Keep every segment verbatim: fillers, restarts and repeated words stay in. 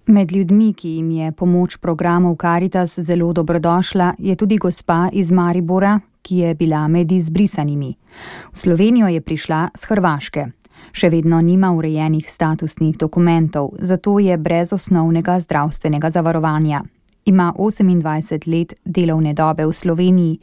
Med ljudmi, ki jim je pomoč programov Karitas zelo dobrodošla, je tudi gospa iz Maribora, ki je bila med izbrisanimi. V Slovenijo je prišla s Hrvaške. Še vedno nima urejenih statusnih dokumentov, zato je brez osnovnega zdravstvenega zavarovanja. Ima osemindvajset let delovne dobe v Sloveniji.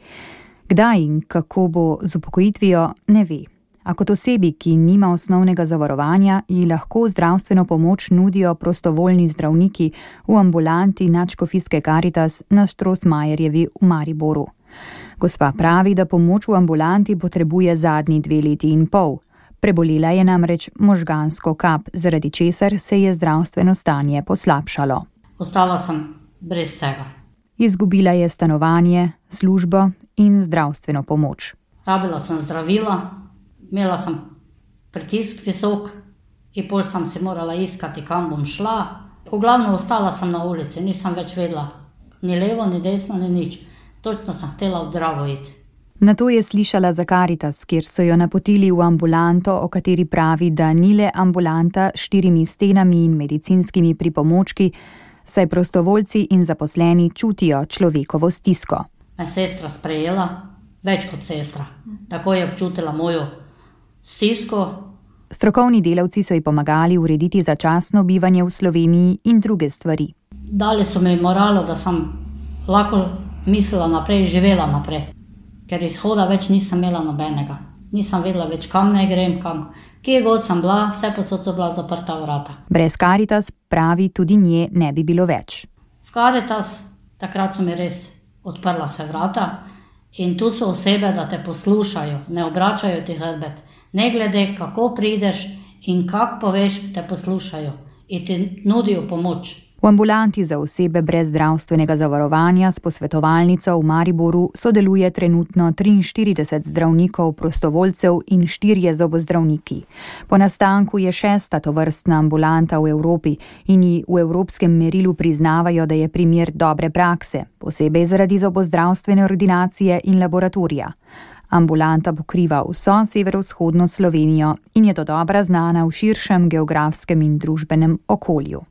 Kdaj in kako bo z upokojitvijo, ne ve. A kot osebi, ki nima osnovnega zavarovanja, ji lahko zdravstveno pomoč nudijo prostovoljni zdravniki v ambulanti Nadškofijske Karitas na Štrosmajerjevi v Mariboru. Gospa pravi, da pomoč v ambulanti potrebuje zadnji dve leti in pol. Prebolela je namreč možgansko kap, zaradi česar se je zdravstveno stanje poslabšalo. Ostala sem brez vsega. Izgubila je stanovanje, službo in zdravstveno pomoč. Rabila sem zdravila, imela sem pritisk visok in pol sem si morala iskati, kam bom šla. V glavnem ostala sem na ulici, nisem več vedela ni levo, ni desno, ni nič. Točno sem htela v zdravo iti. Nato je slišala za Karitas, kjer so jo napotili v ambulanto, o kateri pravi, da ni le ambulanta s štirimi stenami in medicinskimi pripomočki, saj prostovoljci in zaposleni čutijo človekovo stisko. Me sestra sprejela, več kot sestra. Tako je občutila mojo stisko. Strokovni delavci so ji pomagali urediti začasno bivanje v Sloveniji in druge stvari. Dali so mi moralo, da sem lahko mislila naprej, živela naprej. Ker izhoda več nisem imela nobenega. Nisem vedela več, kam ne grem, kam. Kje god sem bila, vse posod so bila zaprta vrata. Brez Karitas, pravi, tudi nje ne bi bilo več. V Karitas, takrat so mi res odprla se vrata in tu so osebe, da te poslušajo, ne obračajo ti hrbet. Ne glede, kako prideš in kako poveš, te poslušajo in ti nudijo pomoč. V ambulanti za osebe brez zdravstvenega zavarovanja s posvetovalnico v Mariboru sodeluje trenutno triinštirideset zdravnikov, prostovoljcev in štirje zobozdravniki. Po nastanku je šesta tovrstna ambulanta v Evropi in ji v evropskem merilu priznavajo, da je primer dobre prakse, posebej zaradi zobozdravstvene ordinacije in laboratorija. Ambulanta pokriva vso severovzhodno Slovenijo in je dodobra znana v širšem geografskem in družbenem okolju.